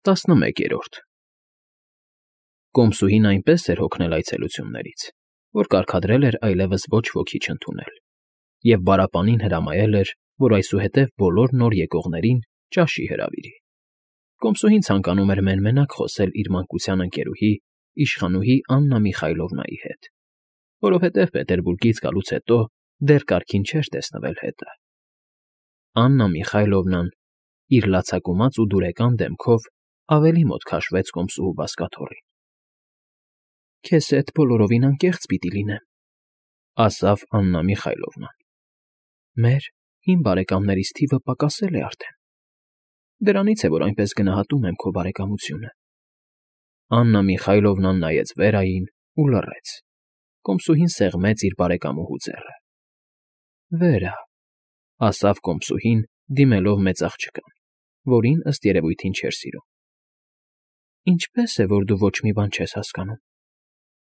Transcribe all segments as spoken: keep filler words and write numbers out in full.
Տասնմեկերորդ Կոմսուհին այնպես էր հոգնել այցելություններից, որ կարգադրել էր այլևս ոչ ոքի չընդունել և պարապանին հրամայել էր, որ այսուհետև բոլոր նոր եկողներին ճաշի հրավիրի։ Կոմսուհին ցանկանում էր մեն֊մենակ խոսել իր մանկության ընկերուհի, իշխանուհի Աննա Միխայլովնայի հետ, որովհետև Պետերբուրգից գալուց հետո դեռ կարգին չէր տեսնվել հետը։ Աննա Միխայլովնան իր լացակումած ու դուրեկան դեմքով ավելի մոտ քաշվեց կոմսուհու բազկաթոռին։ ֊ Քեզ հետ բոլորովին անկեղծ պիտի լինեմ,֊ ասաց Աննա Միխայլովնան։֊ Մեր՝ հին բարեկամներիս թիվը պակասել է արդեն։ Դրանից է, որ այնպես գնահատում եմ քո բարեկամությունը։ Աննա Միխայլովնան նայեց Վերային ու լռեց։ Կոմսուհին սեղմեց իր բարեկամուհու ձեռը։ ֊ Վերա,֊ ասաց կոմսուհին, դիմելով մեծ աղջկան, որին, ըստ երևույթին, չէր սիրում։ Ինչպե՞ս է, որ դու ոչ մի բան չես հասկանում։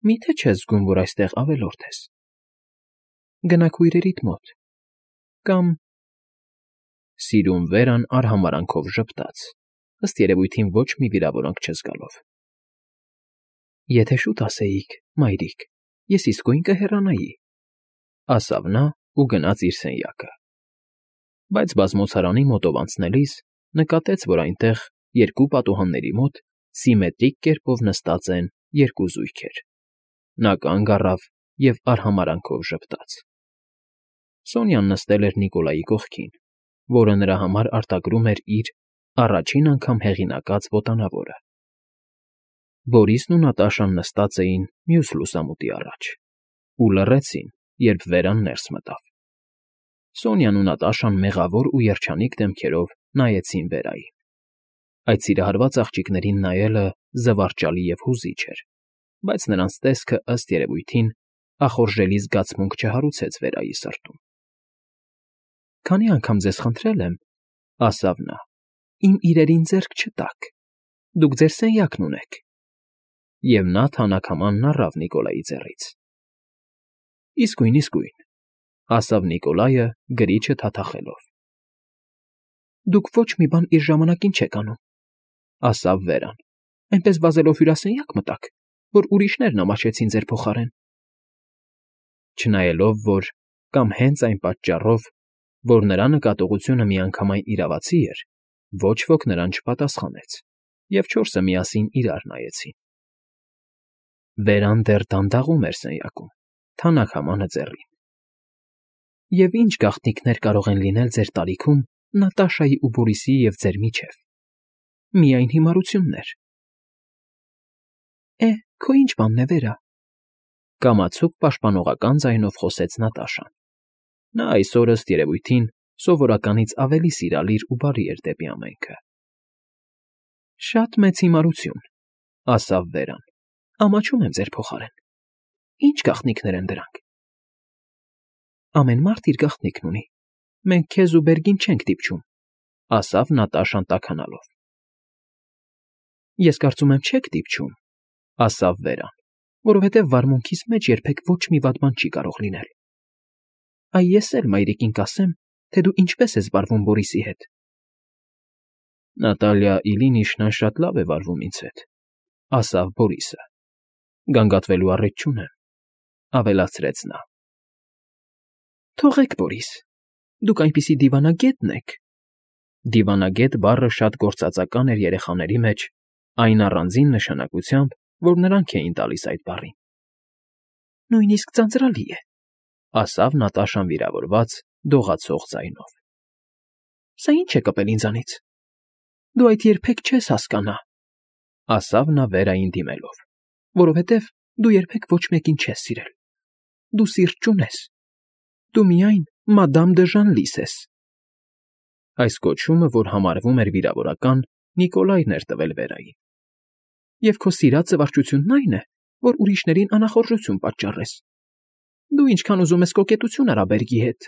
Մի՞թե չես զգում, որ այստեղ ավելորդ ես։ Գնա քույրերիդ մոտ, կամ… Սիրուն Վերան արհամարհանքով ժպտաց, ըստ երևույթին ոչ մի վիրավորանք չզգալով։ Եթե շուտ ասեիք, մայրիկ, ես իսկույն կհեռանայի,֊ ասաց նա ու գնաց իր սենյակը։ Բայց բազմոցարանի մոտով անցնելիս նկատեց, որ այնտեղ, երկու պատուհանների մոտ, սիմետրիկ կերպով նստած են երկու զույգեր։ Նա կանգ առավ և արհամարհանքով ժպտաց։ Սոնյան նստել էր Նիկոլայի կողքին, որը նրա համար արտագրում էր իր առաջին անգամ հեղինակած ոտանավորը։ Բորիսն ու Նատաշան նստած էին մյուս լուսամուտի առաջ ու լռեցին, երբ Վերան ներս մտավ։ Սոնյան ու Նատաշան մեղավոր ու երջանիկ դեմքերով նայեցին Վերային։ Այդ սիրահարված աղջիկներին նայելը զվարճալի և հուզիչ էր, բայց նրանց տեսքը, ըստ երևույթին, ախորժելի զգացմունք չհարուցեց Վերայի սրտում։ ֊ Քանի անգամ ձեզ խնդրել եմ,֊ ասաց նա,֊ իմ իրերին ձեռք չտաք, դուք ձեր սենյակն ունեք։ Եվ նա թանաքամանն առավ Նիկոլայի ձեռքից։ ֊ Իսկույն, իսկույն,֊ ասաց Նիկոլայը, գրիչը թաթախելով։ ֊ Դուք ոչ մի բան իր ժամանակին չեք անում,֊ ասաց Վերան,֊ այնպես վազելով հյուրասենյակ մտաք, որ ուրիշներն ամաչեցին ձեր փոխարեն։ Չնայելով, որ, կամ հենց այն պատճառով, որ նրա նկատողությունը միանգամայն իրավացի էր, ոչ ոք նրան չպատասխանեց, և չորսը միասին իրար նայեցին։ Վերան դեռ դանդաղում էր սենյակում, թանաքամանը ձեռին։ ֊ Եվ ինչ գաղտնիքներ կարող են լինել ձեր տարիքում Նատաշայի ու Բորիսի և ձեր միջև։ Միայն հիմարություններ։ ֊ Է, քո ի՞նչ բանն է, Վերա,֊ կամացուկ պաշտպանողական ձայնով խոսեց Նատաշան։ Նա այսօր, ըստ երևույթին, սովորականից ավելի սիրալիր ու բարի էր դեպի ամենքը։ ֊ Շատ մեծ հիմարություն,֊ ասաց Վերան,֊ ամաչում եմ ձեր փոխարեն։ Ի՞նչ գաղտնիքներ են դրանք։ ֊ Ամեն մարդ իր գաղտնիքն ունի։ Մենք քեզ ու Բերգին չենք դիպչում,֊ ասաց Նատաշան տաքանալով։ ֊ Ես կարծում եմ չեք դիպչում,֊ ասաց Վերան,֊ որովհետև վարմունքիս մեջ երբեք ոչ մի վատ բան չի կարող լինել։ Այ ես էլ մայրիկին կասեմ, թե դու ինչպես ես վարվում Բորիսի հետ։ ֊ Նատալիա Իլինիշնան շատ լավ է վարվում ինձ հետ,֊ ասաց Բորիսը։ Գանգատվելու առիթ չունեմ,֊ ավելացրեց նա։ ֊ Թողեք, Բորիս, դուք այնպիսի դիվանագետն եք… (Դիվանագետ բառը շատ գործածական էր երեխաների մեջ այն առանձին նշանակությամբ, որ նրանք էին տալիս այդ բառին)։ Նույնիսկ ձանձրալի է,֊ ասաց Նատաշան վիրավորված, դողացող ձայնով։ ֊ Սա ի՞նչ է կպել ինձանից։ Դու այդ երբեք չես հասկանա,֊ ասաց նա Վերային դիմելով,֊ որովհետև դու երբեք ոչ մեկին չես սիրել։ Դու սիրտ չունես։ Դու միայն Մադամ դը Ժանլիս ես։ Այս կոչումը, որ համարվում էր վիրավորական, Նիկոլայն էր տվել Վերային։ Եվ քո սիրած զվարճությունն այն է, որ ուրիշներին անախորժություն պատճառես։ Դու ինչքան ուզում ես կոկետություն արա Բերգի հետ,֊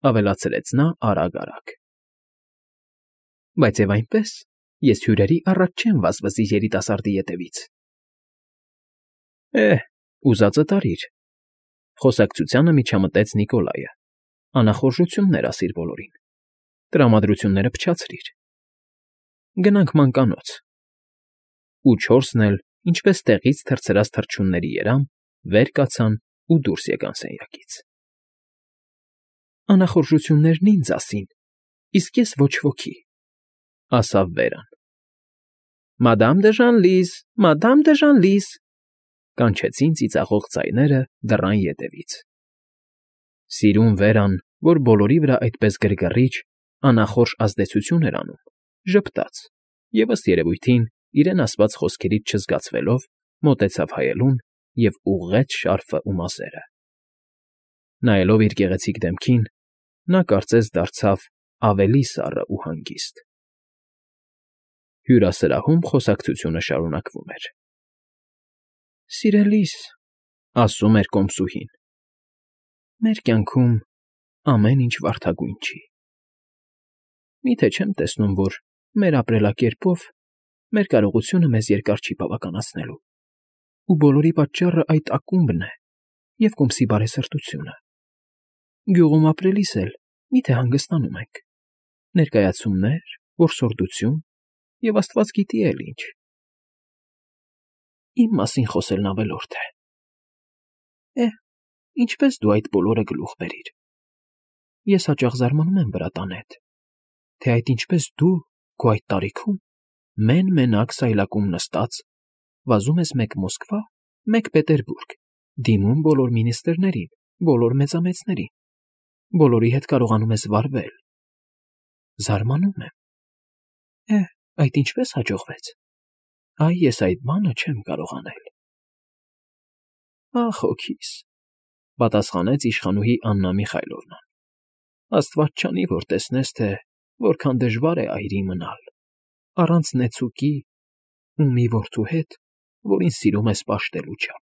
ավելացրեց նա արագ֊արագ։ Բայց և այնպես ես հյուրերի առաջ չեմ վազվզի երիտասարդի ետևից։ ֊ Է՛հ, ուզածդ արիր,֊ խոսակցությանը միջամտեց Նիկոլայը,֊ անախորժություններ ասիր բոլորին, տրամադրությունները փչացրիր։ Գնանք մանկանոց, ու չորսն էլ, ինչպես տեղից թռցրած թռչունների երամ, վեր կացան ու դուրս եկան սենյակից։ ֊ Անախորժություններն ինձ ասին, իսկ ես ոչ ոքի, ֊ ասավ Վերան։ ֊ Մադամ դը Ժանլիզ, Մադամ դը Ժանլիզ, ֊ կանչեցին ծիծաղող ձայները դռան ետևից։ Սիրուն Վերան, որ բոլորի վրա այդպես գրգռիչ, անախորժ ազդեցություն էր անում, ժպտաց և, ըստ երևույթին, իրեն ասված խոսքերից չզգացվելով, մոտեցավ հայելուն և ուղղեց շարֆն ու մազերը։ Նայելով իր գեղեցիկ դեմքին, նա կարծես դարձավ ավելի սառն ու հանգիստ։ Հյուրասրահում խոսակցությունը շարունակվում էր։ ֊ Սիրելիս, ֊ ասում էր կոմսուհին, ֊ մեր կյանքում ամեն ինչ վարդագույն չի։ Մի՞թե չեմ տեսնում, որ մեր ապրելակերպով մեր կարողությունը մեզ երկար չի բավականացնելու, ու բոլորի պատճառը այդ ակումբն է և կոմսի բարեսրտությունը։ Գյուղում ապրելիս էլ մի՞թե հանգստանում ենք. ներկայացումներ, որսորդություն և աստված գիտի էլ ինչ։ Իմ մասին խոսելն ավելորդ է։ Է՜, ինչպես դու այդ բոլորը գլուխ բերիր։ Ես հաճախ զարմանում եմ վրատան հետ, թե այդ ինչպես դու քո այդ տարիքում մեն֊մենակ սայլակում նստած վազում ես մեկ Մոսկվա, մեկ Պետերբուրգ, դիմում բոլոր մինիստրներին, բոլոր մեծամեծներին, բոլորի հետ կարողանում ես վարվել։ Զարմանում եմ։ Է, այդ ինչպես հաջողվեց։ Այ ես այդ բանը չեմ կարող անել։ Ախ, հոգիս, ֊ պատասխանեց իշխանուհի Աննա Միխայլովնան, ֊ աստված չանի, որ տեսնես, թե որքան դժվար է այրի մնալ, առանց նեցուկի ու մի որդու հետ, որին սիրում ես պաշտելու չափ։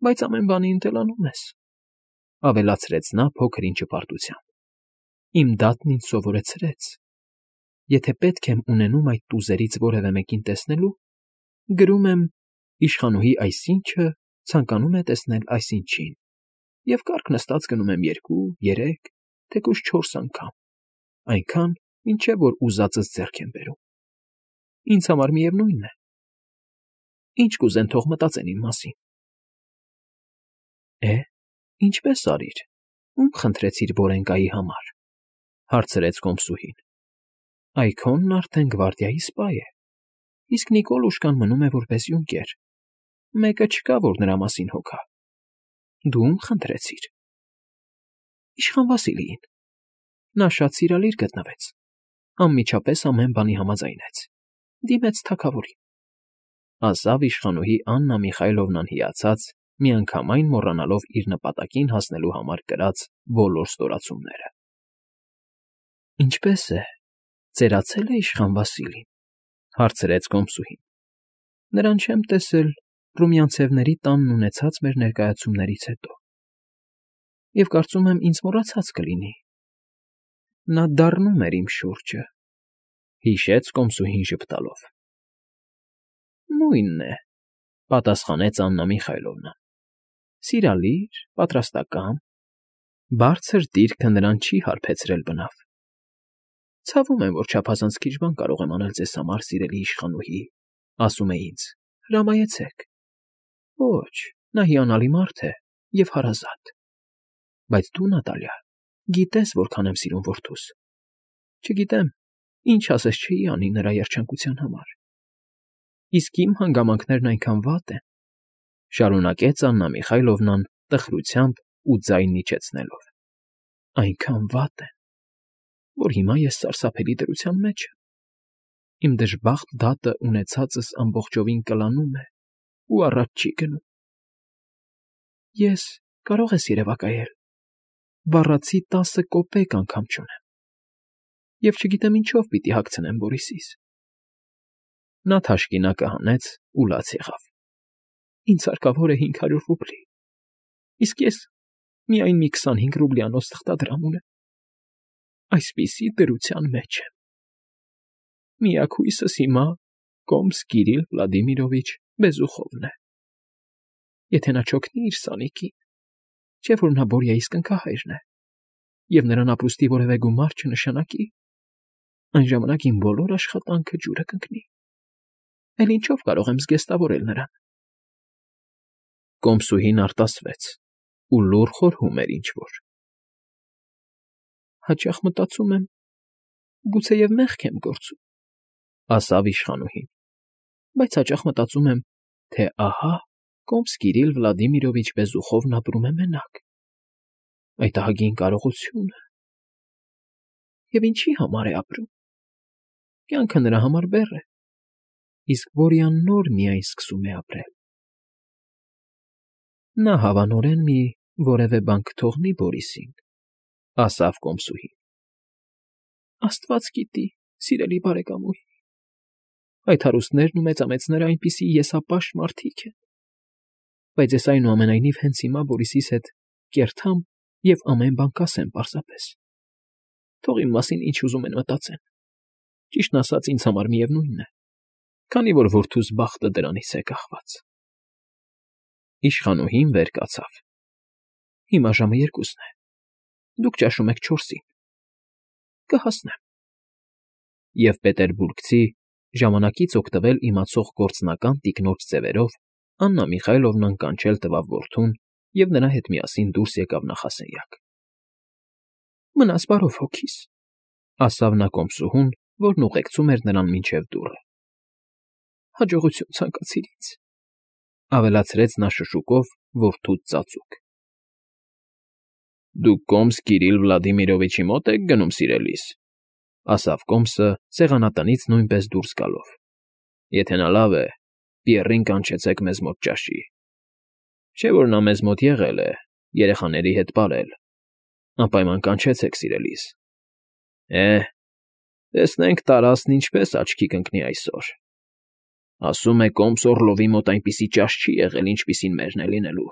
Բայց ամեն բանի ընտելանում ես, ֊ ավելացրեց նա փոքր-ինչ հպարտությամբ։ Իմ դատն ինձ սովորեցրեց. եթե պետք եմ ունենում այդ տուզերից որևէ մեկին տեսնելու, գրում եմ իշխանուհի այսինչը ցանկանում է տեսնել այսինչին, և կառք նստած գնում եմ երկու, երեք, թեկուզ չորս անգամ, այնքան, մինչև որ ուզածս ձեռք եմ բերում։ Ինձ համար միևնույն է։ Ինչ կուզեն, թող մտածեն իմ մասին։ Է, ինչպես արիր, ում խնդրեցիր Բորենկայի համար, ֊ հարցրեց կոմսուհին։ Այ քոնն արդեն գվարդիայի սպա է, իսկ Նիկոլուշկան մնում է որպես յունկեր, մեկը չկա, որ նրա մասին հոգա։ Դու ում խնդրեցիր։ Իշխան Վասիլիին։ Նա շատ սիրալիր գտնվեց, անմիջապես ամեն բանի համաձայնեց, դիմեց թագավորին, ֊ ասավ իշխանուհի Աննա Միխայլովնան հիացած, միանգամայն մոռանալով իր նպատակին հասնելու համար կրած բոլոր ստորացումները։ ֊ Ինչպե՞ս է, ծերացե՞լ է իշխան Վասիլին, ֊ հարցրեց կոմսուհին։ ֊ Նրան չեմ տեսել Ռումյանցևների տանն ունեցած մեր ներկայացումներից հետո, և կարծում եմ ինձ մոռացած կլինի։ Նա դառնում էր իմ շուրջը, ֊ հիշեց կոմսուհին ժպտալով։ ֊ Նույնն է, ֊ պատասխանեց Աննա Միխայլովնան, ֊ սիրալիր, պատրաստակամ, բարձր դիրքը նրան չի հարբեցրել բնավ։ Ցավում եմ, որ չափազանց քիչ բան կարող եմ անել ձեզ համար, սիրելի իշխանուհի, ասում է ինձ. հրամայեցեք։ Ոչ, նա հիանալի մարդ է և հարազատ։ Բայց դու, Նատալիա, գիտես, որքան եմ սիրում որդուս։ Չգիտեմ, ինչ ասես չէի անի նրա երջանկության համար։ Իսկ իմ հանգամանքներն այնքան վատ են, ֊ շարունակեց Աննա Միխայլովնան տխրությամբ ու ձայնն իջեցնելով, ֊ այնքան վատ են, որ հիմա ես սարսափելի դրության մեջ եմ։ Իմ դժբախտ դատը ունեցածս ամբողջովին կլանում է ու առաջ չի գնում։ Ես, կարող ես երևակայել, բառացի տասը կոպեկ անգամ չունեմ, և չգիտեմ ինչով պիտի հագցնեմ Բորիսիս։ Նա թաշկինակը հանեց ու լաց եղավ։ Ինձ հարկավոր է հինգ հարյուր ռուբլի, իսկ ես միայն մի քսանհինգ ռուբլյանոց թղթադրամ ունեմ։ Այսպիսի դրության մեջ եմ։ Միակ հույսս հիմա կոմս Կիրիլ Վլադիմիրովիչ Բեզուխովն է։ Եթե նա չօգնի իր սանիկին, չէ՞ որ նա Բորյայիս կնքահայրն է, և նրան ապրուստի որևէ գումար չնշանակի, այն ժամանակ իմ բոլոր աշխատանքը ջուրը կընկնի։ Էլ ինչով կարող եմ զգեստավորել նրան։ Կոմսուհին արտասվեց ու լուռ խորհում էր ինչ֊որ։ Հաճախ մտածում եմ, գուցեև մեղք եմ գործում, ասավ իշխանուհին, բայց հաճախ մտածում եմ, թե ահա Կոմս Կիրիլ Վլադիմիրովիչ Բեզուխովն ապրում է մենակ։ Այդ ահագին կարողությունը… Եվ ինչի համար է ապրում։ Կյանքը նրա համար բեռ է, իսկ Բորյան նոր միայն սկսում է ապրել։ Նա հավանորեն մի որևէ բան կթողնի Բորիսին, ասավ կոմսուհին։ Աստված գիտի, սիրելի բարեկամուհի, այդ հարուստներն ու մեծամեծները այնպիսի եսապաշտ մարդիկ են, բայց ես այնուամենայնիվ հենց հիմա Բորիսիս հետ կերթամ և ամեն բան կասեմ պարզապես։ Թող իմ մասին ինչ ուզում են մտածեն, ճիշտն ասած ինձ համար միևնույն է, քանի որ որդուս բախտը դրանից է կախված։ Իշխանուհին վեր կացավ։ Հիմա ժամը երկուսն է, դուք ճաշում եք չորսին, կհասնեմ։ Եվ պետերբուրգցի, ժամանակից օգտվել իմացող գործնական տիկնոջ ձևերով Աննա Միխայլովնան կանչել տվավ որդուն և նրա հետ միասին դուրս եկավ նախասենյակ։ Մնաս բարով հոգիս, ասավ նա կոմսուհուն, որն ուղեկցում էր նրան մինչև դուռը։ Հաջողություն ցանկացիր ինձ, ավելացրեց նա շշուկով որդուց ծածուկ։ Դուք Կոմս Կիրիլ Վլադիմիրովիչի մոտ եք գնում, սիրելիս, ասավ Կոմսը սեղանատնից նույնպես դուրս գալով։ Եթե նա լավ է, Պիեռին կանչեցեք մեզ մոտ ճաշի։ Չէ՞ որ նա մեզ մոտ եղել է, երեխաների հետ պարել։ Անպայման կանչեցեք, սիրելիս։ Է, տեսնենք տարածն ինչպես աչքի կընկնի այսօր։ Ասում է Կոմս Օռլովի մոտ այնպիսի ճաշ չի եղել, ինչպիսին մերն է լինելու։